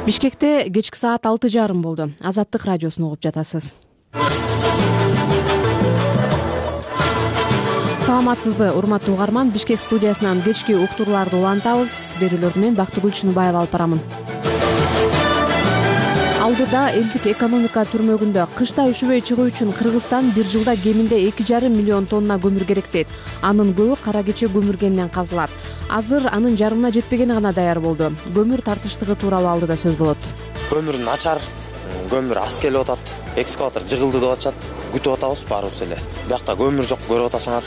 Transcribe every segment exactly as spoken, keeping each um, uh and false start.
Бишкекте кечки саат алты жарым болду. Азаттык радиосун угуп жатасыз. Саламатсызбы, урматтуу угарман? Бишкек студиясынан кечки уктурууларды улантабыз. Берүүлөрдү мен Бактыгүл Чыныбаева алып барамын. Алдыда элдик экономика түрмөгүндө кышта үшүбөй чыгуу үчүн Кыргызстан бир жылда кеминде эки жарым миллион тонна көмүр керек дейт. Анын көбү кара кече көмүргенинен казылат. Азыр анын жарымына жетпегени гана даяр болду. Көмүр тартыштыгы тууралуу алдыда сөз болот. Көмүр начар, көмүр аз келип атат, экскаватор жыгылды деп атышат. Күтүп атабыз баарыбыз эле. Биякта көмүр жок, көрүп атасыңар.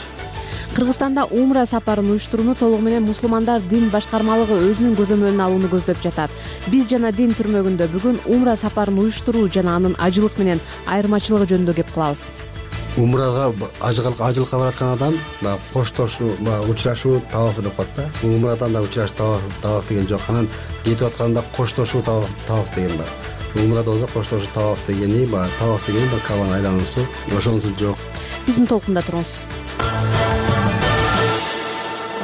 Кыргызстанда умра сапарын уюштурууну толугу менен мусулмандар дин башкармалыгы өзүнүн көзөмөлүнө алууну көздөп жатат. Биз жана дин түрмөгүндө бүгүн умра сапарын уюштуруу жана анын ажылык менен айырмачылыгы жөнүндө кеп кылабыз. Умрага ажылыкка бараткан адам коштошуу, учурашуу тавафы деп коет да. Умрадан да учурашуу таваф деген жок. Анан кетип атканда коштошуу таваф деген бар. Умрада болсо коштошуу таваф дегени, таваф дегени Кабаны айлануусу, ошонусу жок. Биздин толкунда туруңуз.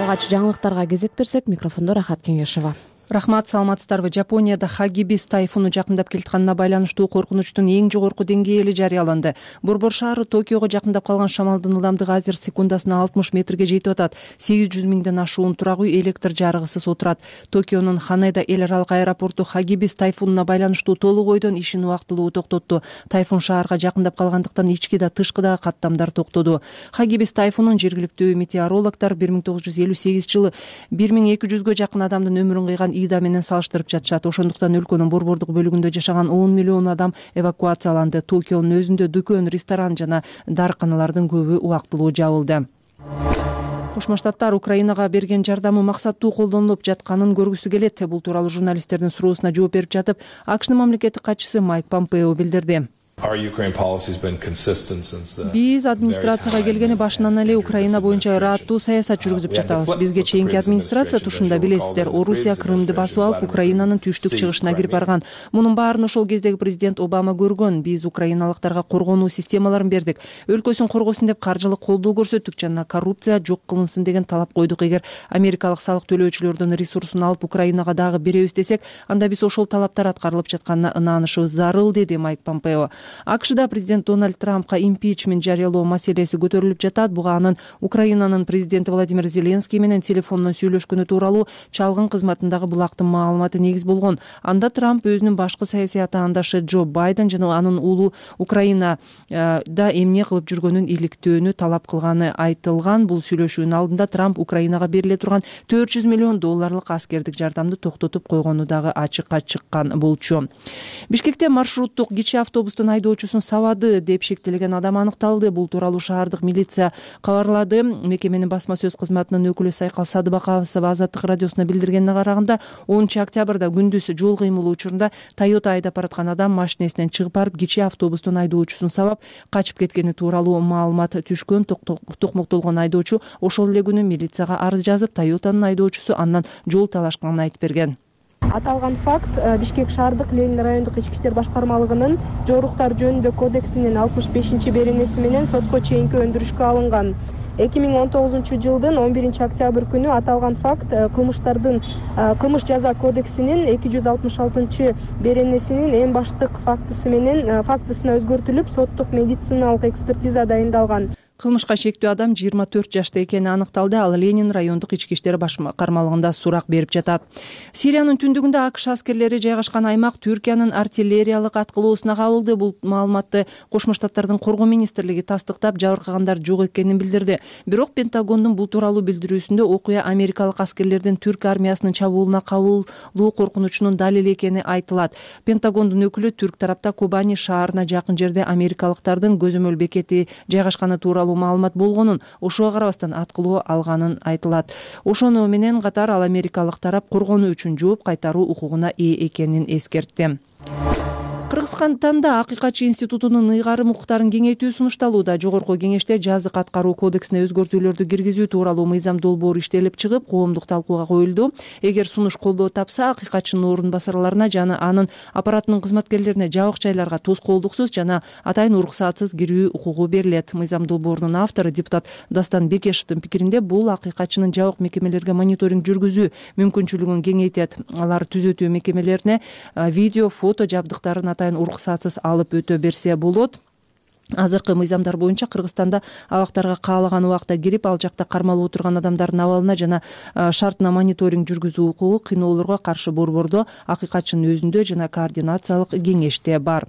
Алгач жаңылыктарга кезек берсек, микрофондо Рахат Кеңешова. Рахмат, саламатсыздарбы? Жапонияда Хагибис тайфуну жакындап келатканына байланыштуу коркунучтун эң жогорку деңгээли жарыяланды. Борбор шаары Токиого жакындап калган шамалдын ылдамдыгы азыр секундасына алтымыш метрге жетип атат. сегиз жүз миңден ашуун турак үй электр жарыгысыз отурат. Токионун Ханеда эл аралык аэропорту Хагибис тайфунуна байланыштуу толук ойдон ишин убактылуу токтотту. Тайфун шаарга жакындап калгандыктан ички да тышкы да каттамдар токтоду. Хагибис тайфунун жергиликтүү метеорологдор бир миң тогуз жүз элүү сегизинчи жылы бир миң эки жүзгө жакын адамдын өмүрүн кыйган Ида менен салыштырып жатышат. Ошондуктан өлкөнүн борбордук бөлүгүндө жашаган он миллион адам эвакуацияланды. Токионун өзүндө дүкөн, ресторан жана дарыканалардын көбү убактылуу жабылды. Кошмо Штаттар Украинага берген жардамы максаттуу колдонулуп жатканын көргүсү келет. Бул тууралуу журналисттердин суроосуна жооп берип жатып, АКШнын мамлекеттик катчысы Майк Помпео билдирди. Биз администрацияга келгени башынан эле Украина боюнча ырааттуу саясат жүргүзүп жатабыз. Бизге чейинки администрация тушунда билесиздер, Орусия Крымды басып алып, Украинанын түштүк чыгышына кирип барган. Мунун баарын ошол кездеги президент Обама көргөн. Биз украиналыктарга коргонуу системаларын бердик. Өлкөсүн коргосун деп каржылык колдоо көрсөттүк жана коррупция жок кылынсын деген талап койдук. Эгер америкалык салык төлөөчүлөрдүн ресурсун алып Украинага дагы беребиз десек, анда биз ошол талаптар аткарылып жатканына ынанышыбыз зарыл, деди Майк Помпео. АКШда президент Дональд Трампка импичмент жарыялоо маселеси көтөрүлүп жатат. Буга анын Украинанын президенти Владимир Зеленский менен телефондон сүйлөшкөнү тууралуу чалгын кызматындагы булактын маалыматы негиз болгон. Анда Трамп өзүнүн башкы саясий атаандашы Джо Байден жана анын уулу Украинада эмне кылып жүргөнүн иликтөөнү талап кылганы айтылган. Бул сүйлөшүүнүн алдында Трамп Украинага бериле турган төрт жүз миллион долларлык аскердик жардамды токтотуп койгону дагы ачыкка чыккан болчу. Бишкекте маршруттук кичи автобустун айдоочусун сабады деп шектелген адам аныкталды. Бул тууралуу шаардык милиция кабарлады. Мекеменин басма сөз кызматынын өкүлү Сайкал Садыбакова Азаттык радиосуна билдиргенине караганда, онунчу октябрда күндүз жол кыймылы учурунда Toyota айдап бараткан адам машинесинен чыгып барып, кичи автобустун айдоочусун сабап качып кеткени тууралуу маалымат түшкөн. Токмоктолгон айдоочу ошол эле күнү милицияга арыз жазып, Toyotанын айдоочусу андан жол талашканын айтып берген. Аталган факт Бишкек шаардык Ленин райондук ички иштер башкармалыгынын жоруктар жөнүндө кодексинин алтымыш бешинчи беренеси менен сотко чейинки өндүрүшкө алынган. эки миң он тогузунчу жылдын он биринчи октябрь күнү аталган факт кылмыштардын кылмыш жаза кодексинин эки жүз алтымыш алтынчы беренесинин эң баштык фактысы менен фактысына өзгөртүлүп, соттук медициналык экспертиза дайындалган. Кылмышка шектүү адам жыйырма төрт жашта экени аныкталды. Ал Ленин райондук ички иштер башкармалыгында сурак берип жатат. Сириянын түндүгүндө АКШ аскерлери жайгашкан аймак Түркиянын артиллериялык аткылоосуна кабылды. Бул маалыматты Кошмо Штаттардын коргоо министрлиги тастыктап, жабыркагандар жок экенин билдирди. Бирок Пентагондун бул тууралуу билдирүүсүндө окуя америкалык аскерлердин түрк армиясынын чабуулуна кабылуу коркунучунун далили экени айтылат. Пентагондун өкүлү түрк тарапта Кобани шаарына жакын жерде америкалыктардын көзөмөл бекети жайгашканы тууралуу маалымат болгонун, ошого карабастан аткылоо алганын айтылат. Ошону менен катар ал америкалык тарап коргонуу үчүн жооп кайтаруу укугуна ээ экенин эскертти. Кыргызстанда Акыйкатчы институтунун ыйгарым укуктарын кеңейтүү сунушталууда. Жогорку кеңеште жазык аткаруу кодексине өзгөртүүлөрдү киргизүү тууралуу мыйзам долбоору иштелип чыгып, коомдук талкууга коюлду. Эгер сунуш колдоо тапса, Акыйкатчынын орун басарларына жана анын аппаратынын кызматкерлерине жабык жайларга тоскоолдуксуз жана атайын уруксатсыз кирүү укугу берилет. Мыйзам долбоорунун автору депутат Дастан Бекешевдин пикиринде, бул Акыйкатчынын жабык мекемелерге мониторинг жүргүзүү мүмкүнчүлүгүн кеңейтет. Алар түзөтүү мекемелерине видео, фото жабдыктарын атайын уруксатсыз алып өтө берсе болот. Азыркы мыйзамдар боюнча Кыргызстанда абактарга каалаган убакта кирип, ал жакта кармалып отурган адамдардын абалына жана шартына мониторинг жүргүзүү укугу кыйноолорго каршы борбордо, Акыйкатчынын өзүндө жана координациялык кеңеште бар.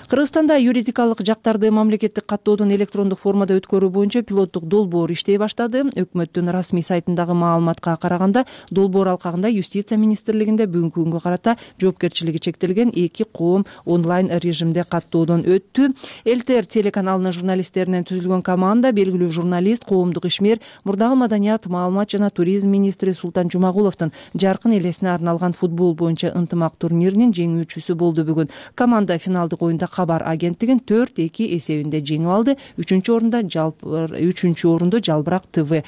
Кыргызстанда юридикалык жактарды мамлекеттик каттоодон электрондук формада өткөрүү боюнча пилоттук долбоор иштей баштады. Өкмөттүн расмий сайтындагы маалыматка караганда, долбоор алкагында Юстиция министрлигинде бүгүнкү күнгө карата жоопкерчилиги чектелген эки коом онлайн режимде каттоодон өттү. Элтер телеканалынын журналисттеринен түзүлгөн команда белгилүү журналист, коомдук ишмер, мурдагы маданият, маалымат жана туризм министри Султан Жумагуловдун жаркын элесине арналган футбол боюнча ынтымак турниринин жеңүүчүсү болду бүгүн. Команда финалдык оюнда Кабар агенттигин төрт эки эсебинде жеңип алды. Үчүнчү орунда үчүнчү орунду Жалбырак ТВ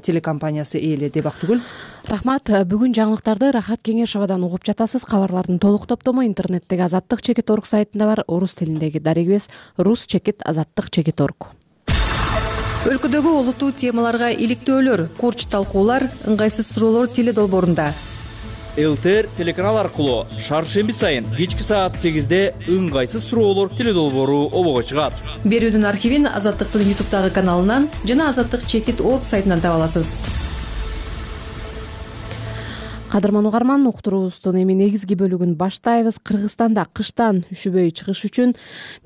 телекомпаниясы ээледи. Бактыгүл. Рахмат. Бүгүн жаңылыктарды Рахат Кеңешовадан угуп жатасыз. Кабарлардын толук топтому интернеттеги азаттык чекит орг сайтында бар. Орус тилиндеги дарегибиз рус чекит азаттык чекит орг. Өлкөдөгү олуттуу темаларга иликтөөлөр, курч талкуулар, ыңгайсыз суроолор теле долбоорунда. Элтер телеканал аркылуу шаршемби сайын кечки саат сегизде ыңгайсыз суроолор теле долбоору обого чыгат. Берүүдүн архивин Азаттыктын ютубтагы каналынан жана азаттык чекит орг сайтынан таба аласыз. Кадырман угарман, уктуруубуздун эми негизги бөлүгүн баштайбыз. Кыргызстанда кыштан үшүбөй чыгыш үчүн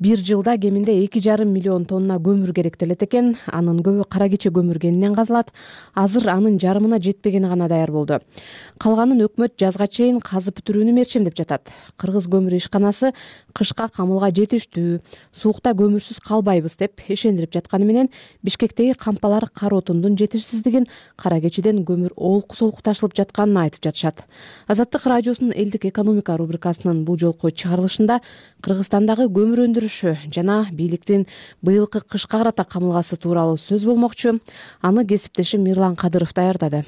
бир жылда кеминде эки жарым миллион тонна көмүр керектелет экен. Анын көбү кара кече көмүргенинен казылат. Азыр анын жарымына жетпегени гана даяр болду. Калганын өкмөт жазга чейин казып бүтүрүүнү мерчемдеп жатат. Кыргыз көмүр ишканасы кышка камылга жетиштүү, суукта көмүрсүз калбайбыз деп ишендирип жатканы менен Бишкектеги кампалар кар отундун жетишсиздигин, кара кечеден көмүр олку-солку ташылып жатканын айтып жатышат. Азаттык радиосунун элдик экономика рубрикасынын бул жолку чыгарылышында Кыргызстандагы көмүр өндүрүшү жана бийликтин быйылкы кышка карата камылгасы тууралуу сөз болмокчу. Аны кесиптешим Мирлан Кадыров даярдады.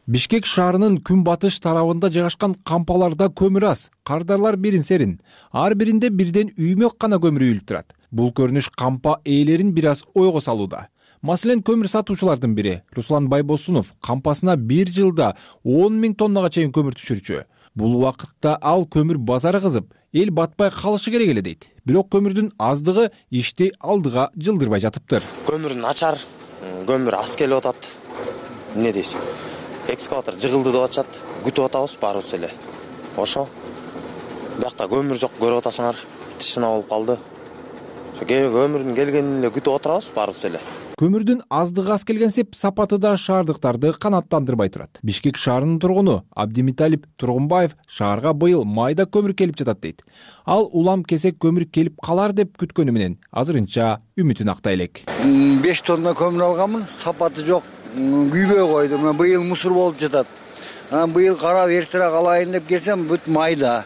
Бишкек шаарынын күнбатыш тарабында жайгашкан кампаларда көмүр аз, кардарлар бирин-серин. Ар биринде бирден үймөк гана көмүр үйүлүп турат. Бул көрүнүш кампа ээлерин бир аз ойго салууда. Маселен, көмүр сатуучулардын бири Руслан Байбосунов кампасына бир жылда он миң тоннага чейин көмүр түшүрчү. Бул убакытта ал көмүр базары кызып, эл батпай калышы керек эле дейт. Бирок көмүрдүн аздыгы ишти алдыга жылдырбай жатыптыр. Көмүр начар, көмүр аз келип атат. Эмне дейсиң? Экскаватор жыгылды деп атышат. Күтүп атабыз баарыбыз эле. Ошо. Биякта көмүр жок, көрүп атасыңар. Тишина болуп калды. Ошо көмүрдүн келгенин эле күтүп отурабыз баарыбыз эле. Көмүрдүн аздыгы аз келгенсип, сапаты да шаардыктарды канааттандырбай турат. Бишкек шаарынын тургуну Абдимиталип Тургунбаев шаарга быйыл майда көмүр келип жатат дейт. Ал улам кесек көмүр келип калар деп күткөнү менен азырынча үмүтүн актай элек. беш тонна көмүр алганмын, сапаты жок, күйбөй койду. Мына быйыл мусор болуп жатат. Анан быйыл карап эртерээк алайын деп келсем, бүт майда.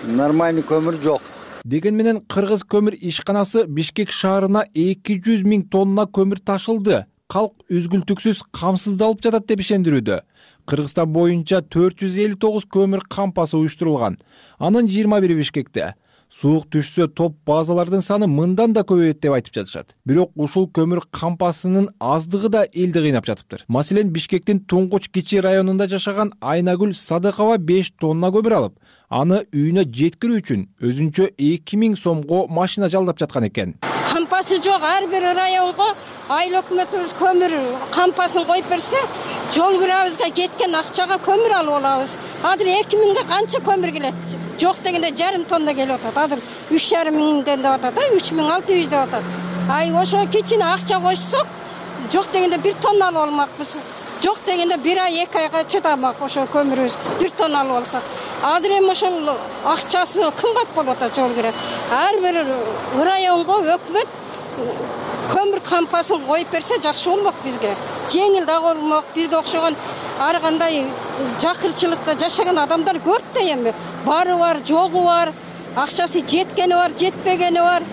Нормальный көмүр жок. Деген менен Кыргыз көмүр ишканасы Бишкек шаарына эки жүз миң тонна көмүр ташылды. Калк үзгүлтүксүз камсыздалып жатат деп ишендирүүдө. Кыргызстан боюнча төрт жүз элүү тогуз көмүр кампасы уюштурулган. Анын жыйырма бири Бишкекте. Суук түшсө топ базалардын саны мындан да көбөйөт деп айтып жатышат. Бирок ушул көмүр кампасынын аздыгы да элди кыйнап жатыптыр. Маселен, Бишкектин Туңгуч Кичи районунда жашаган Айнагүл Садыкова беш тонна көмүр алып, аны үйүнө жеткирүү үчүн өзүнчө эки миң сомго машина жалдап жаткан экен. Кампасы жок, ар бир районго айыл өкмөтүбүз көмүр кампасын коюп берсе, жол кирабызга кеткен акчага көмүр алып алабыз. Азыр эки миңге канча көмүр келет? Жок дегенде жарым тонна келип атат. Азыр үч жарым миңден деп атат, үч миң алты жүз деп атат. Ай, ошо кичине акча койсок, жок дегенде бир тонна алып алмакпыз. Жок дегенде бир ай, эки айга чыдамак ошо көмүрүбүз бир тонна алып алсак. Азыр эми ошол акчасы кымбат болуп атат жол кирет. Ар бир районго өкмөт көмүр кампасын коюп берсе жакшы болмок бизге. Жеңил да болмок. Бизге окшогон ар кандай жакырчылыкта жашаган адамдар көп да эми. Бары бар, жогу бар. акчасы жеткени бар, жетпегени бар.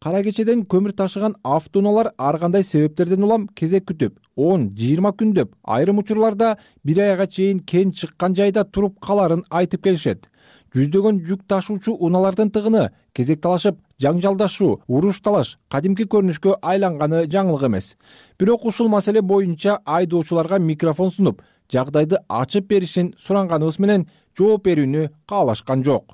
Кара кечеден көмүр ташыган автоунаалар ар кандай себептерден улам кезек күтүп, он жыйырма күндөп, айрым учурларда бир айга чейин кен чыккан жайда туруп каларын айтып келишет. Жүздөгөн жүк ташуучу унаалардын тыгыны кезек талашып, жаңжалдашуу, уруш талаш кадимки көрүнүшкө айланганы жаңылык эмес. Бирок ушул маселе боюнча айдоочуларга микрофон сунуп, жагдайды ачып беришин суранганыбыз менен жооп берүүнү каалашкан жок.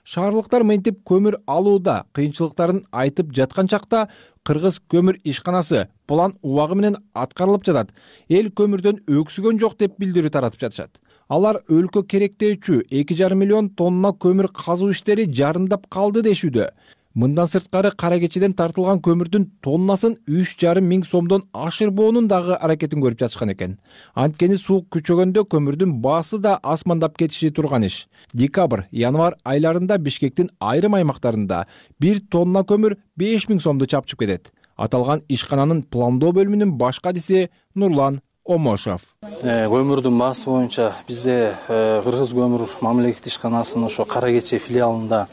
Шаарлыктар мынтип көмүр алууда кыйынчылыктарын айтып жаткан чакта Кыргыз көмүр ишканасы план убагы менен аткарылып жатат. Эл көмүрдөн өксүгөн жок деп билдирүү таратып жатышат. Алар өлкө керектөөчү эки жарым миллион тонна көмүр казуу иштери жарымдап калды дешүүдө. Мындан сырткары кара кечеден тартылган көмүрдүн тоннасын үч жарым миң сомдон ашырбоонун дагы аракетин көрүп жатышкан экен. Анткени суук күчөгөндө көмүрдүн баасы да асмандап кетиши турган иш. Декабрь, январь айларында Бишкектин айрым аймактарында бир тонна көмүр беш миң сомду чапчып кетет. Аталган ишкананын пландоо бөлүмүнүн баш кадиси Нурлан Омошов. Көмүрдүн баасы боюнча бизде Кыргыз көмүр мамлекеттик ишканасынын ошо Кара кече филиалында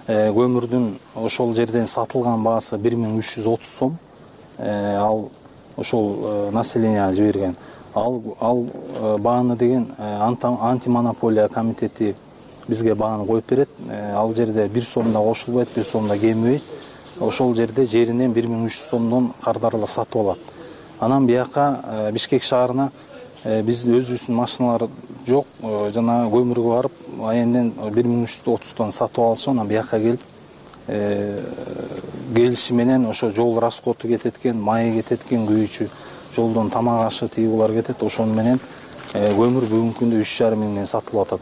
көмүрдүн ошол жерден сатылган баасы бир миң үч жүз отуз сом. Ал ошол населенияга жиберген. Ал ал бааны деген антимонополия комитети бизге бааны коюп берет. Ал жерде бир сом да кошулбайт, бир сом да кемибейт. Ошол жерде жеринен бир миң үч жүз сомдон кардарылып сатып алат. Анан бияка Бишкек шаарына биздин өзүбүздүн машиналар жок, жана көмүргө барып, айенден бир миң үч жүз отуздон сатып алышып, анан бияка келип келиши менен ошо жол расходу кетет экен, майы кетет экен, күйүүчү жолдон тамак ашы тигулар кетет. Ошону менен көмүр бүгүнкү күндө үч жарым миңден сатылып атат.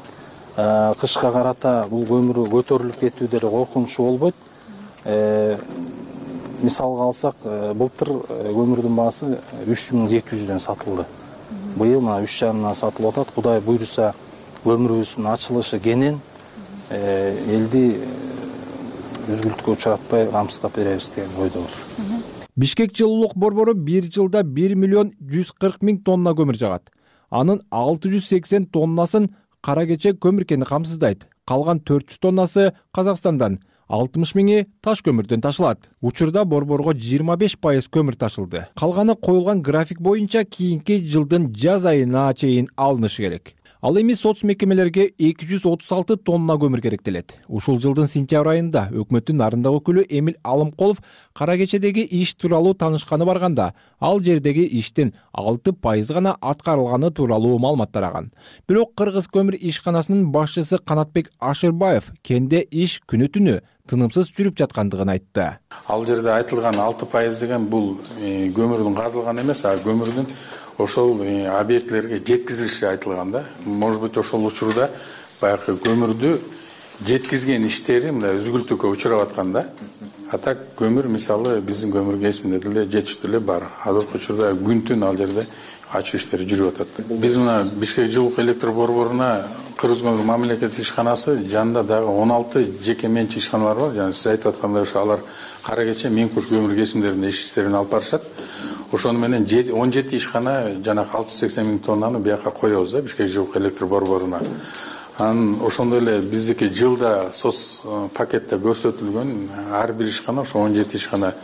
Кышка карата бул көмүр көтөрүлүп кетүү деле коркунучу болбойт. Мисалга алсак, былтыр көмүрдүн баасы үч миң жети жүздөн сатылды. Быйыл мына үч жарымдан сатылып атат. Кудай буйруса, көмүрүбүздүн ачылышы кенен элди үзгүлтүккө учуратпай камсыздап беребиз деген ойдобуз. Бишкек жылуулук борбору бир жылда бир миллион жүз кырк миң тонна көмүр жагат. Анын алты жүз сексен тоннасын кара кече көмүр кени камсыздайт. Калган төрт жүз тоннасы Казакстандан, алтымыш миңи таш көмүрдөн ташылат. Учурда борборго жыйырма беш пайыз көмүр ташылды. Калганы коюлган график боюнча кийинки жылдын жаз айына чейин алынышы керек. Ал эми соц мекемелерге эки жүз отуз алты тонна көмүр керектелет. Ушул жылдын сентябрь айында өкмөттүн нарындагы өкүлү Эмил Алымкулов кара кечедеги иш тууралуу таанышканы барганда, ал жердеги иштин алты пайыз гана аткарылганы тууралуу маалымат тараган. Бирок Кыргыз көмүр ишканасынын башчысы Канатбек Ашырбаев кенде иш күнү-түнү тынымсыз жүрүп жаткандыгын айтты. Ал жерде айтылган алты пайыз деген бул көмүрдүн казылган эмес, а көмүрдүн ошол объектлерге жеткизилиши айтылган да. Может быть, ошол учурда баягы көмүрдү жеткизген иштери мындай үзгүлтүккө учурап аткан да. А так көмүр мисалы биздин көмүр кесиминде деле жетиштүү эле бар. Азыркы учурда күн-түн ал жерде ачуу иштери жүрүп атат. Биз мына Бишкек жылуулук электр борборуна Кыргыз көмүр мамлекеттик ишканасы жанында дагы он алты жеке менчик ишканалар бар. Жана сиз айтып аткандай ошо алар кара кече Меңкуш көмүр кесимдеринде иш иштерин алып барышат. Ошону менен он жети ишкана жана алты жүз сексен миң тоннаны бияка коебуз да Бишкек жылуулук электр борборуна. Анан ошондой эле биздики жылда соц пакетте көрсөтүлгөн ар бир ишкана ошо он жети ишкана,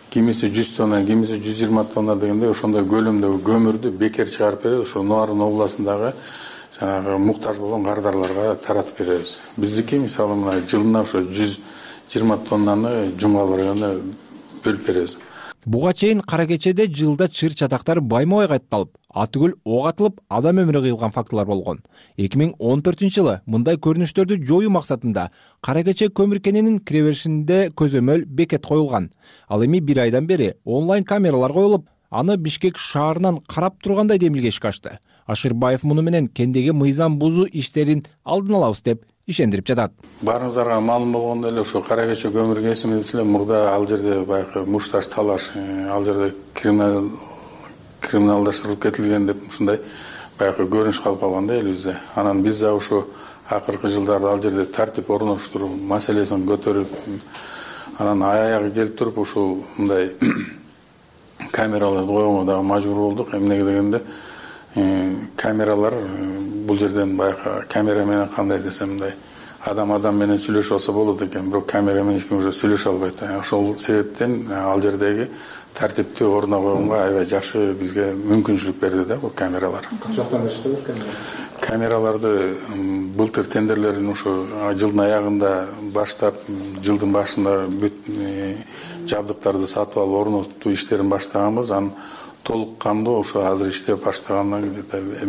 кимиси жүз тонна, кимиси жүз жыйырма тонна дегендей ошондой көлөмдөгү көмүрдү бекер чыгарып беребиз. Ошо Нуарын областындагы жанагы муктаж болгон кардарларга таратып беребиз. Биздики мисалы мына жылына ошо жүз жыйырма тоннаны жумгал районуна бөлүп беребиз. Буга чейин кара кечеде жылда чыр чатактар байма-бай катталып, атүгүл ок атылып, адам өмүрү кыйылган фактылар болгон. эки миң он төртүнчү жылы мындай көрүнүштөрдү жоюу максатында кара кече көмүр кенинин киреберишинде көзөмөл бекет коюлган. Ал эми бир айдан бери онлайн камералар коюлуп, аны Бишкек шаарынан карап тургандай демилгешке ачты. Ашырбаев муну менен кендеги мыйзам бузуу иштерин алдын алабыз деп ишендирип жатат. Баарыңыздарга маалым болгондой эле ошо кара кече көмүр кесими десе мурда ал жерде баягы мушташ талаш, ал жерде криминал криминалдаштырылып кетилген деп ушундай баягы көрүнүш калып калган да элибизде. Анан биз да ошо акыркы жылдарда ал жерде тартип орноштуруу маселесин көтөрүп, анан аягы келип туруп ушул мындай камераларды койгонго дагы мажбур болдук. Эмнеге дегенде камералар бул жерден баягы камера менен кандай десем мындай адам адам менен сүйлөшүп алса болот экен, бирок камера менен эч ким уже сүйлөшө албайт. Ошол себептен ал жердеги тартипти ордуна койгонго аябай жакшы бизге мүмкүнчүлүк берди да бул камералар. Качактан иштеп камера? Камераларды былтыр тендерлерин ушу жылдын аягында баштап, жылдын башында бүт жабдыктарды сатып алып орнотуу иштерин баштаганбыз. Анын толук кандуу ошо азыр иштеп баштагандан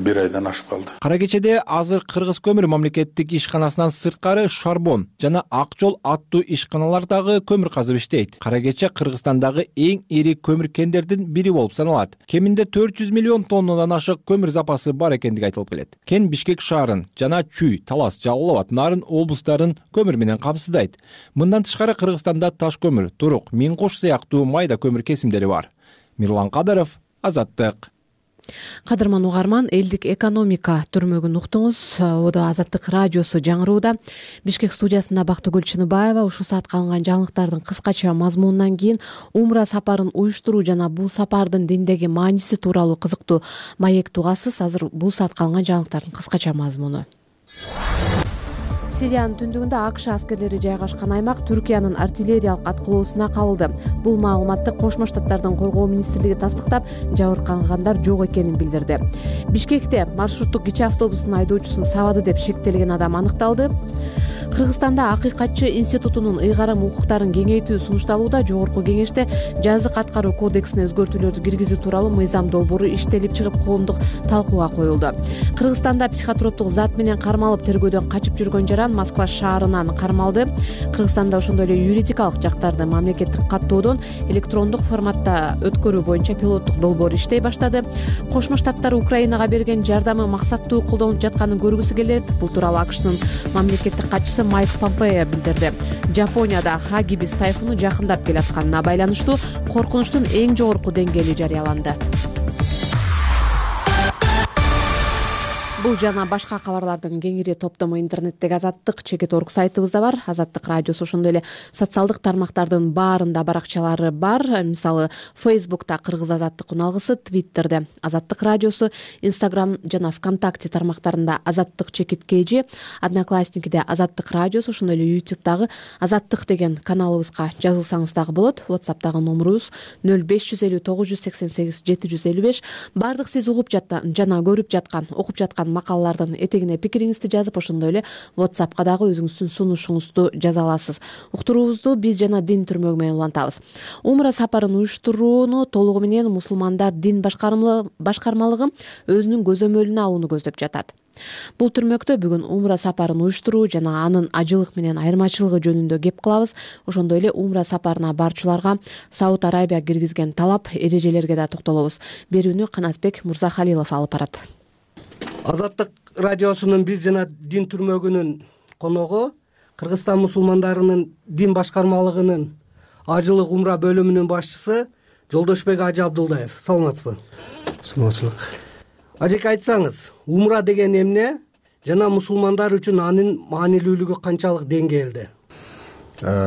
бир айдан ашып калды. Кара кечеде азыр Кыргыз көмүр мамлекеттик ишканасынан сырткары Шарбон жана Ак жол аттуу ишканалар дагы көмүр казып иштейт. Кара кече Кыргызстандагы эң ири көмүр кендердин бири болуп саналат. Кеминде төрт жүз миллион тоннадан ашык көмүр запасы бар экендиги айтылып келет. Кен Бишкек шаарын жана Чүй, Талас, Жалал абад, Нарын облустарын көмүр менен камсыздайт. Мындан тышкары Кыргызстанда таш көмүр, турук, миң кош сыяктуу майда көмүр кесимдери бар. Мирлан Кадыров, Азаттык. Кадырман угарман, элдик экономика түрмөгүн уктуңуз. Ода Азаттык радиосу жаңырууда. Бишкек студиясында Бактыгүл Чыныбаева. Ушул саатка алынган жаңылыктардын кыскача мазмунунан кийин умра сапарын уюштуруу жана бул сапардын диндеги мааниси тууралуу кызыктуу маек тугасыз. Азыр бул саатка алынган жаңылыктардын кыскача мазмуну. Сириянын түндүгүндө АКШ аскерлери жайгашкан аймак Түркиянын артиллериялык аткылоосуна кабылды. Бул маалыматты Кошмо Штаттардын коргоо министрлиги тастыктап, жабыркагандар жок экенин билдирди. Бишкекте маршруттук кичи автобустун айдоочусун сабады деп шектелген адам аныкталды. Кыргызстанда Акыйкатчы институтунун ыйгарым укуктарын кеңейтүү сунушталууда. Жогорку кеңеште жазык аткаруу кодексине өзгөртүүлөрдү киргизүү тууралуу мыйзам долбоору иштелип чыгып коомдук талкууга коюлду. Кыргызстанда психотроптук зат менен кармалып тергөөдөн качып жүргөн жаран Москва шаарынан кармалды. Кыргызстанда ошондой эле юридикалык жактарды мамлекеттик каттоодон электрондук форматта өткөрүү боюнча пилоттук долбоор иштей баштады. Кошмо Штаттар Украинага берген жардамы максаттуу колдонулуп жатканын көргүсү келет. Бул тууралуу АКШнын мамлекеттик катчысы Майк Помпео билдирди. Жапонияда Хагибис тайфуну жакындап келатканына байланыштуу коркунучтун эң жогорку деңгээли жарыяланды. Бул жана башка кабарлардын кеңири топтому интернеттеги Азаттык чекит точка орг сайтыбызда бар. Азаттык радиосу ошондой эле социалдык тармактардын баарында баракчалары бар. Мисалы, Facebook'та Кыргыз Азаттык уналгысы, Twitter'де Азаттык радиосу, Instagram жана ВКонтакте тармактарында Азаттык чекит kg, Одноклассникиде Азаттык радиосу, ошондой эле YouTube'дагы Азаттык деген каналыбызга жазылсаңыз дагы болот. WhatsApp'тагы номерубуз нөл беш жүз элүү тогуз жүз сексен сегиз жети жүз элүү беш. Бардык сиз угуп жаткан жана көрүп жаткан, окуп жаткан макалалардын этегине пикириңизди жазып, ошондой эле WhatsApp'ка дагы өзүңүздүн сунушуңузду жаза аласыз. Уктуруубузду биз жана дин түрмөгү менен улантабыз. Умра сапарын уюштурууну толугу менен мусулмандар дин башкармалыгы өзүнүн көзөмөлүнө алууну көздөп жатат. Бул түрмөктө бүгүн умра сапарын уюштуруу жана анын ажылык менен айырмачылыгы жөнүндө кеп кылабыз. Ошондой эле умра сапарына барчуларга Сауд Арабия киргизген талап, эрежелерге да токтолобуз. Берүүнү Канатбек Мурзахалилов алып барат. Азаттык радиосунун биз жана дин түрмөгүнүн коногу Кыргызстан мусулмандарынын дин башкармалыгынын ажылык умра бөлүмүнүн башчысы Жолдошбек Ажы Абдулдаев. Саламатсызбы? Саламатчылык. Ажеке, айтсаңыз, умра деген эмне жана мусулмандар үчүн анын маанилүүлүгү канчалык деңгээлде?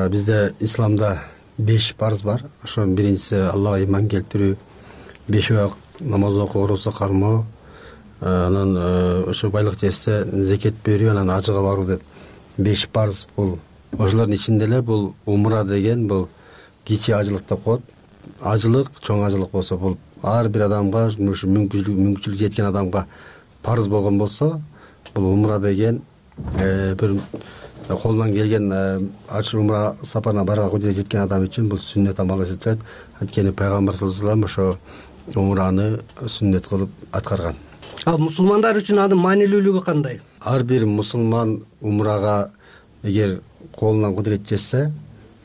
Бизде исламда беш парыз бар. Ошонун биринчиси Аллага иман келтирүү, беш убак намаз окуу, орозо кармоо, анан ошо байлык жетсе зекет берүү, анан ажыга баруу деп беш парыз. Бул ошолордун ичинде эле бул умра деген бул кичи ажылык деп коет. Ажылык, чоң ажылык болсо бул ар бир адамга, ушу мүмкүнчүлүк жеткен адамга парыз болгон болсо, бул умра деген бир колунан келген ачы умра сапарына барууга кудурет жеткен адам үчүн бул сүннөт амал эсептелет. Анткени пайгамбар саллаллаху алейхи вассалам ошо умраны сүннөт кылып аткарган. Ал мусулмандар үчүн анын маанилүүлүгү кандай? Ар бир мусулман умрага эгер колунан кудурет жетсе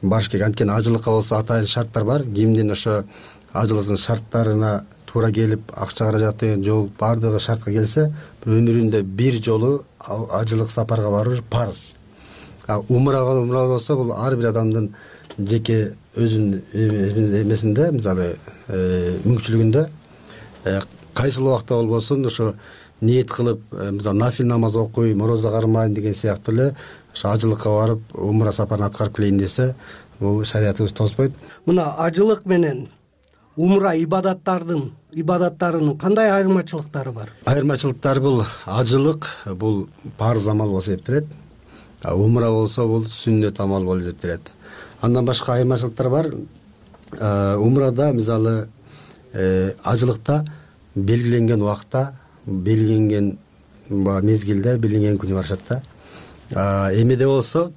барыш керек. Анткени ажылыкка болсо атайын шарттар бар. Кимдин ошо ажылыктын шарттарына туура келип, акча каражаты жол бардыгы шартка келсе, өмүрүндө бир жолу ажылык сапарга баруу парыз. Умрага умра болсо бул ар бир адамдын жеке өзүнүн эмесинде, мисалы, мүмкүнчүлүгүндө кайсыл убакта болбосун ошо ниет кылып, мисалы, нафил намаз окуйм, орозо кармайм деген сыяктуу эле ошо ажылыкка барып, умра сапарын аткарып келейин десе, бул шариятыбыз тоспойт. Мына ажылык менен умра ибадаттардын ибадаттарынын кандай айырмачылыктары бар? Айырмачылыктар бул ажылык бул парыз амал болуп эсептелет. умра болсо бул сүннөт амал болуп эсептелет. Андан башка айырмачылыктар бар. Умрада мисалы ажылыкта белгиленген убакта, белгиленген мезгилде, белгиленген күнү барышат да. Эмеде болсо,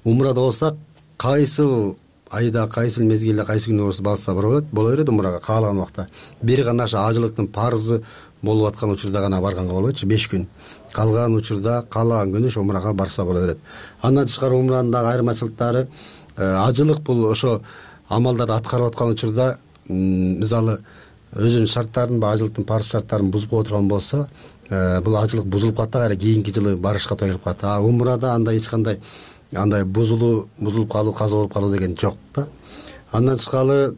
умрада болсо кайсы айда, кайсы мезгилде, кайсы күнү болсо барса болот, боло берет умрага каалаган убакта. Бир гана ошо ажылыктын парызы болуп аткан учурда гана барганга болбойт, беш күн. Калган учурда каалаган күнү ошо умрага барса боло берет. Андан тышкары умранын дагы айырмачылыктары, ажылык бул ошо амалдарды аткарып аткан учурда мисалы өзүнүн шарттарын, ажылыктын парыз шарттарын бузуп отурган болсо, бул ажылык бузулуп калат да, кайра кийинки жылы барышка туура келип калат. А умрада андай эч кандай андай бузулуу, бузулуп калуу, каза болуп калуу деген жок да. Андан тышкары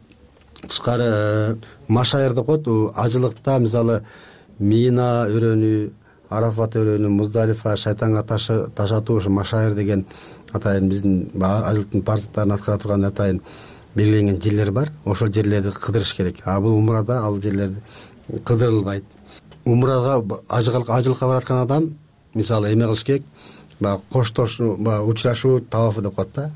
тышкары машайыр деп коет. Ажылыкта мисалы Мина өрөөнү, Арафат өрөөнү, Муздалифа, шайтанга ташы ташатуу, ошо машайыр деген атайын биздин ажылыктын парыздарын аткара турган атайын белгиленген жерлер бар. Ошол жерлерди кыдырыш керек. А бул умрада ал жерлерди кыдырылбайт. Умрага ажылыкка бараткан адам мисалы эме кылыш керек, баягы коштошуу, баягы учурашуу тавафы деп коет да.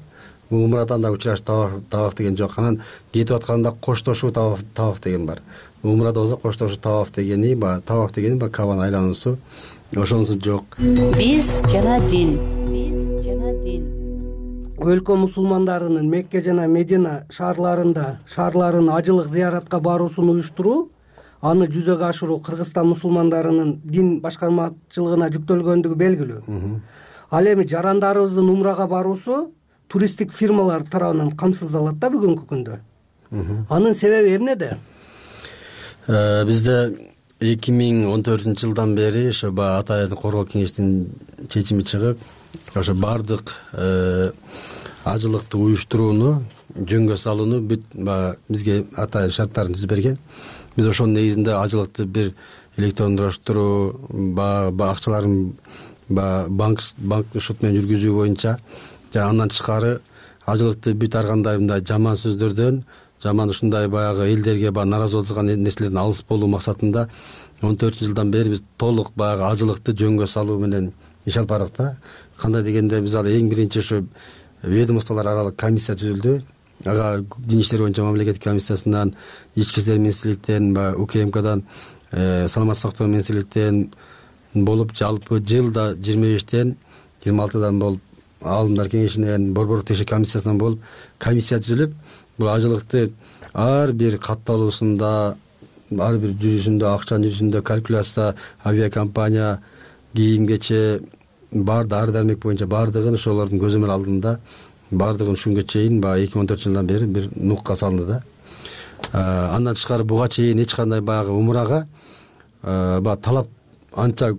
Бул умрадан да учураш таваф деген жок. Анан кетип атканда коштошуу таваф деген бар. Умрада болсо коштошуу таваф дегени, баягы таваф дегени баягы Кабаны айлануусу, ошонусу жок. Биз жана дин. Биз жана дин. Өлкө мусулмандарынын Мекке жана Медина шаарларында шаарларын ажылык зыяратка баруусун уюштуруу, аны жүзөгө ашыруу Кыргызстан мусулмандарынын дин башкармачылыгына жүктөлгөндүгү белгилүү. Ал эми жарандарыбыздын умрага баруусу туристтик фирмалар тарабынан камсыздалат да бүгүнкү күндө. Анын себеби эмнеде? Бизде эки миң он төртүнчү жылдан бери ошо атайын коргоо кеңештин чечими чыгып, ошо бардык ажылыкты уюштурууну, жөнгө салууну бүт бизге атайын шарттарын түзүп берген. Биз ошонун негизинде ажылыкты бир электрондуштуруу, акчаларын банк банк шот менен жүргүзүү боюнча, жана андан тышкары ажылыкты бүт ар кандай мындай жаман сөздөрдөн, жаман ушундай баягы элдерге баягы наразы болгон нерселерден алыс болуу максатында он төртүнчү жылдан бери биз толук баягы ажылыкты жөнгө салуу менен иш алып бардык да. Кандай дегенде биз ал эң биринчи ошо ведомстволор аралык комиссия түзүлдү. Ага дин иштери боюнча мамлекеттик комиссиясынан, ички иштер министрликтен, УКМКдан, саламаттык сактоо министрликтен болуп, жалпы жылда жыйырма бештен жыйырма алтыдан болуп, алымдар кеңешинен, борборлук текшерүү комиссиясынан болуп, комиссия түзүлүп, бул ажылыкты ар бир катталуусунда, ар бир жүрүшүндө, акчанын жүрүшүндө калькуляция, авиакомпания, кийим кече, бар дары дармек боюнча бардыгын ошолордун көзөмөл алдында бардыгын ушунга чейин баягы эки миң он төртүнчү жылдан бери бир нукка салынды да. Андан тышкары буга чейин эч кандай баягы умрага баягы талап анча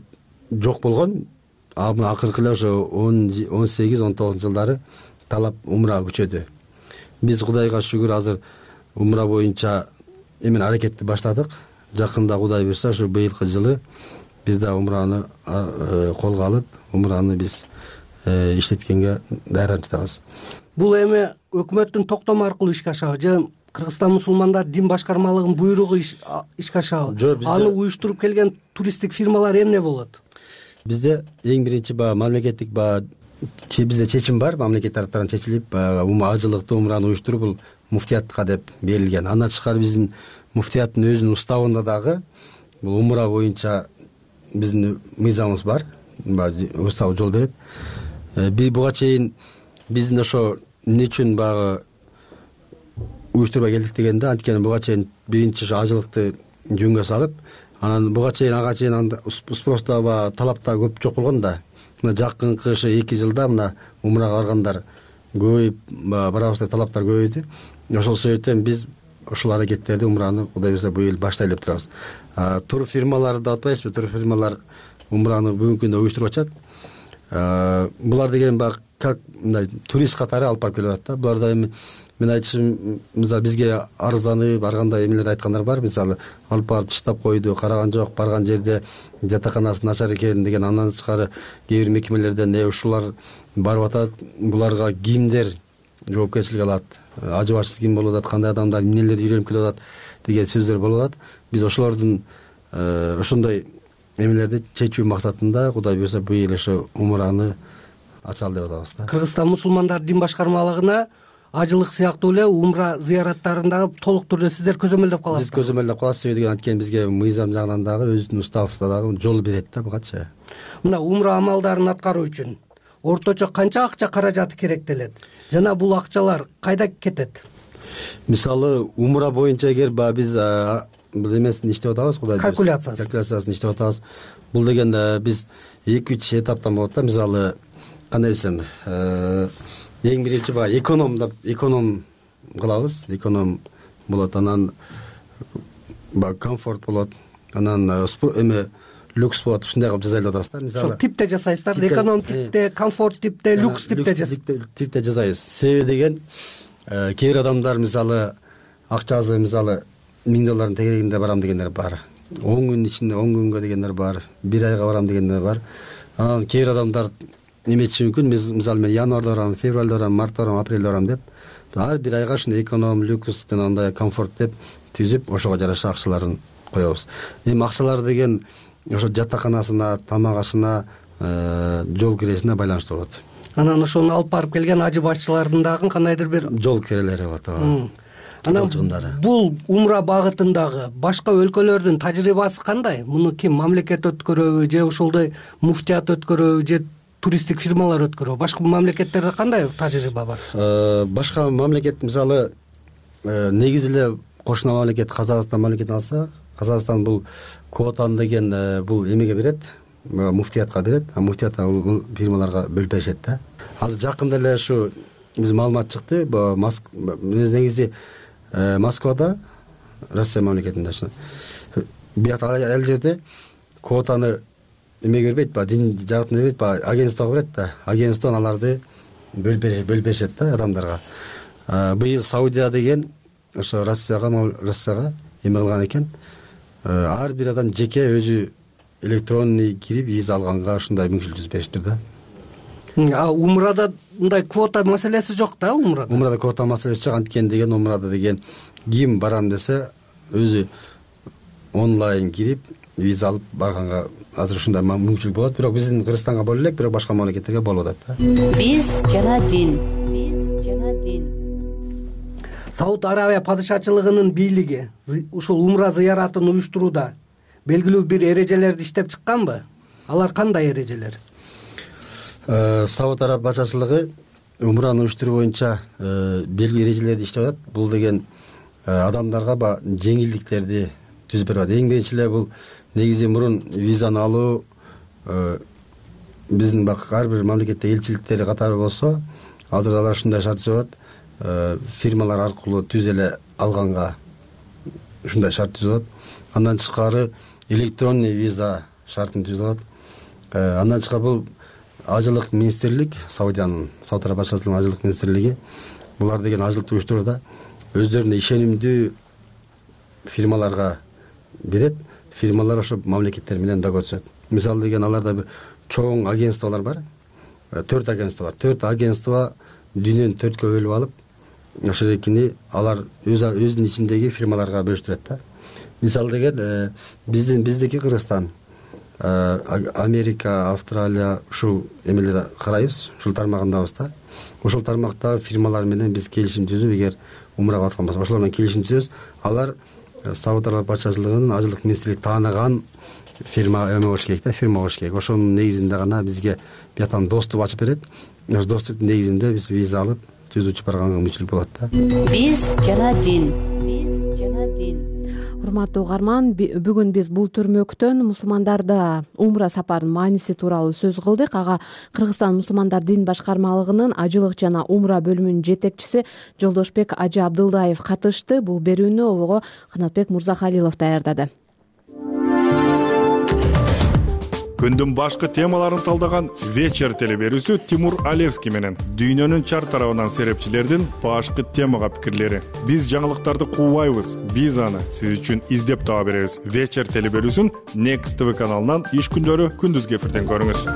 жок болгон. А мына акыркы эле ошо он сегиз он тогузунчу жылдары талап умрага күчөдү. Биз Кудайга шүгүр азыр умра боюнча эмен аракетти баштадык. Жакында Кудай буйрса ошо быйылкы жылы биз да умраны колго алып, умраны биз иштеткенге даярданып жатабыз. Бул эми өкмөттүн токтому аркылуу ишке ашабы же Кыргызстан мусулмандар дин башкармалыгынын буйругу ишке ашабы? Аны уюштуруп келген туристтик фирмалар эмне болот? Бизде эң биринчи баягы мамлекеттик баягы бизде чечим бар, мамлекет тараптарынан чечилип, баягы ажылыкты умраны уюштуруу бул муфтиятка деп берилген. Андан тышкары биздин муфтияттын өзүнүн уставында дагы бул умра боюнча биздин мыйзамыбыз бар, устав жол берет. Биз буга чейин биздин ошо эмне үчүн баягы уюштурбай келдик дегенде, анткени буга чейин биринчи ошо ажылыкты жөнгө салып, анан буга чейин ага чейин спросто баягы талапта көп жок болгон да. Мына жакынкы ошо эки жылда мына умрага баргандар көбөйүп, барабыз деп талаптар көбөйдү. Ошол себептен биз ошол аракеттерди умраны Кудай буйрса быйыл баштайлы деп турабыз. Тур фирмалары деп атпайбызбы? Тур фирмалар умраны бүгүнкү күндө уюштуруп атат. Булар деген баягы как мындай турист катары алып барып келип атат да. Буларда эми мен айтышым, мисалы бизге арызданып, ар кандай эмелерди айткандар бар. Мисалы алып барып чыштап койду, караган жок, барган жерде жатаканасы начар экен деген. Андан тышкары кээ бир мекемелерден э ушулар барып атат, буларга кимдер жоопкерчилик алат, ажыбашсыз ким болуп атат, кандай адамдар эмнелерди үйрөнүп келип атат деген сөздөр болуп атат. Биз ошолордун ошондой эмелерди чечүү максатында Кудай буйрса быйыл ошо умраны ачалы деп атабыз да. Кыргызстан мусулмандар дин башкармалыгына ажылык сыяктуу эле умра зыяраттарын дагы толук түрдө сиздер көзөмөлдөп каласыздар. Биз көзөмөлдөп калабыз, себеби деген анткени бизге мыйзам жагынан дагы өзүнүн уставыбызда дагы жол берет да бугачы. Мына умра амалдарын аткаруу үчүн орточо канча акча каражаты керектелет жана бул акчалар кайда кетет? Мисалы умра боюнча эгер баягы биз бул эмесин иштеп атабыз, кудай калькуляциясы калькуляциясын иштеп атабыз. Бул деген биз эки үч этаптан болот да. Мисалы кандай десем, эң биринчи баягы эконом деп эконом кылабыз, эконом болот, анан баягы комфорт болот, анан эме люкс болот, ушундай кылып жасайлап атабыз да. Мисалы ошол типте жасайсыздар, эконом типте, комфорт типте, люкс типте жасайсыздар. Типте жасайбыз. Себеби деген кээ бир адамдар мисалы акчасы мисалы миң доллардын тегерегинде барам дегендер бар, он күн ичинде он күнгө дегендер бар, бир айга барам дегендер бар. Анан кээ бир адамдар неметиши мүмкүн, мисалы мен январда барам, февралда барам, мартта барам, апрелде барам деп ар бир айга ушундай эконом, люкс жана андай комфорт деп түзүп ошого жараша акчаларын коебуз. Эми акчалар деген ошо жатаканасына, тамак ашына, жол киресине байланыштуу болот. Анан ошону алып барып келген ажы башчылардын дагы кандайдыр бир жол кирелери болот. Анан бул умра багытындагы башка өлкөлөрдүн тажрыйбасы кандай? Муну ким, мамлекет өткөрөбү же ошолдой муфтият өткөрөбү же туристтик фирмалар өткөрөбү? Башка мамлекеттерде кандай тажрыйба бар? Башка мамлекет мисалы негизи эле кошуна мамлекет Казакстан мамлекетин алса, Казакстан бул квотаны деген бул эмеге берет, муфтиятка берет, а муфтият бул фирмаларга бөлүп беришет да. Азыр жакында эле ушу биз маалымат чыкты, негизи Москвада, Россия мамлекетинде ушул биякта ал жерде квотаны эмеге бербейт, баягы дин жагытына бербейт, баягы агентствого берет да. Агентство аларды бөлүп беришет да адамдарга. Быйыл Саудия деген ошо Россияга Россияга эме кылган экен. Ар бир адам жеке өзү электронный кирип виза алганга ушундай мүмкүнчүлүк түзүп бериштир да. А умрада мындай квота маселеси жок да, умрада? Умрада квота маселеси жок, анткени деген умрада деген ким барам десе өзү онлайн кирип виза алып барганга азыр ушундай мүмкүнчүлүк болот, бирок биздин Кыргызстанга боло элек, бирок башка мамлекеттерге болуп атат да. Биз жана дин. Биз жана дин. Сауд Арабия падышачылыгынын бийлиги ушул умра зыяратын уюштурууда белгилүү бир эрежелерди иштеп чыкканбы? Алар кандай эрежелер? Сауд Арабия падышачылыгы умраны уюштуруу боюнча белгилүү эрежелерди иштеп атат. Бул деген адамдарга баягы жеңилдиктерди түзүп берип атат. Эң биринчи эле бул негизи мурун визаны алуу биздин баягы ар бир мамлекетте элчиликтери катары болсо, азыр алар ушундай шарт түзүп атат. Фирмалар аркылуу түз эле алганга ушундай шарт түзүп атат. Андан тышкары электронный виза шартын түзүп атат. Андан тышкары бул ажылык министрлик, Саудиянын, Сауд Арабия падышачылыгынын ажылык министрлиги булар деген ажылыкты уюштурууда өздөрүнө ишенимдүү фирмаларга берет. Фирмалар ошо мамлекеттер менен да көрүшөт. Мисалы деген аларда бир чоң агентстволор бар. төрт агентство бар. төрт агентство дүйнөнү төрткө бөлүп алып, ошол экини алар өз өзүнүн ичиндеги фирмаларга бөлүштүрөт да. Мисалы деген биздин биздики Кыргызстан, Америка, Австралия ушул эмелерди карайбыз, ушул тармагындабыз да. Ошол тармактагы фирмалар менен биз келишим түзүп, эгер умрага аткан болсо, ошолор менен келишим түзөбүз. Алар Сауд Арабия падышачылыгынын ажылык министрлиги тааныган фирма эме болуш керек да, фирма болуш керек. Ошонун негизинде гана бизге бияктан доступ ачып берет. Ошол доступтун негизинде биз виза алып түз учуп барганга мүмкүнчүлүк болот да. Биз жана дин. Биз жана дин. Урматтуу угарман, бүгүн биз бул түрмөктөн мусулмандарда умра сапарынын мааниси тууралуу сөз кылдык. Ага Кыргызстан мусулмандар дин башкармалыгынын ажылык жана умра бөлүмүнүн жетекчиси Жолдошбек Ажы Абдылдаев катышты. Бул берүүнү обого Канатбек Мурзахалилов даярдады. Күндүн башкы темаларын талдаган вечер телеберүүсү Тимур Алевский менен дүйнөнүн чар тарабынан серепчилердин башкы темага пикирлери. Биз жаңылыктарды куубайбыз, биз аны сиз үчүн издеп таба беребиз. Вечер телеберүүсүн Next ти ви каналынан иш күндөрү күндүзгү эфирден көрүңүз.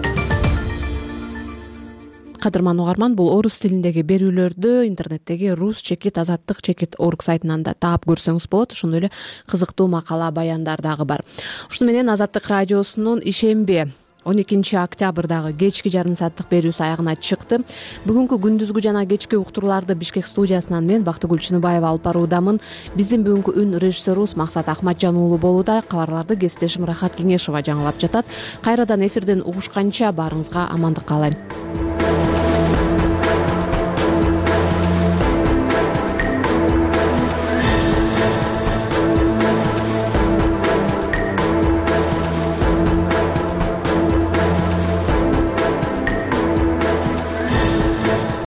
Кадырман угарман, бул орус тилиндеги берүүлөрдү интернеттеги рус чекит азаттык чекит орг сайтынан да таап көрсөңүз болот. Ошондой эле кызыктуу макала, баяндар дагы бар. Ушуну менен Азаттык радиосунун ишемби он экинчи октябрдагы кечки жарым сааттык берүүсү аягына чыкты. Бүгүнкү күндүзгү жана кечки уктурууларды Бишкек студиясынан мен Бактыгүл Чыныбаева алып баруудамын. Биздин бүгүнкү үн режиссерубуз Максат Ахматжан уулу болууда. Кабарларды кесиптешим Рахат Кеңешова жаңылап жатат. Кайрадан эфирден угушканча баарыңызга амандык каалайм.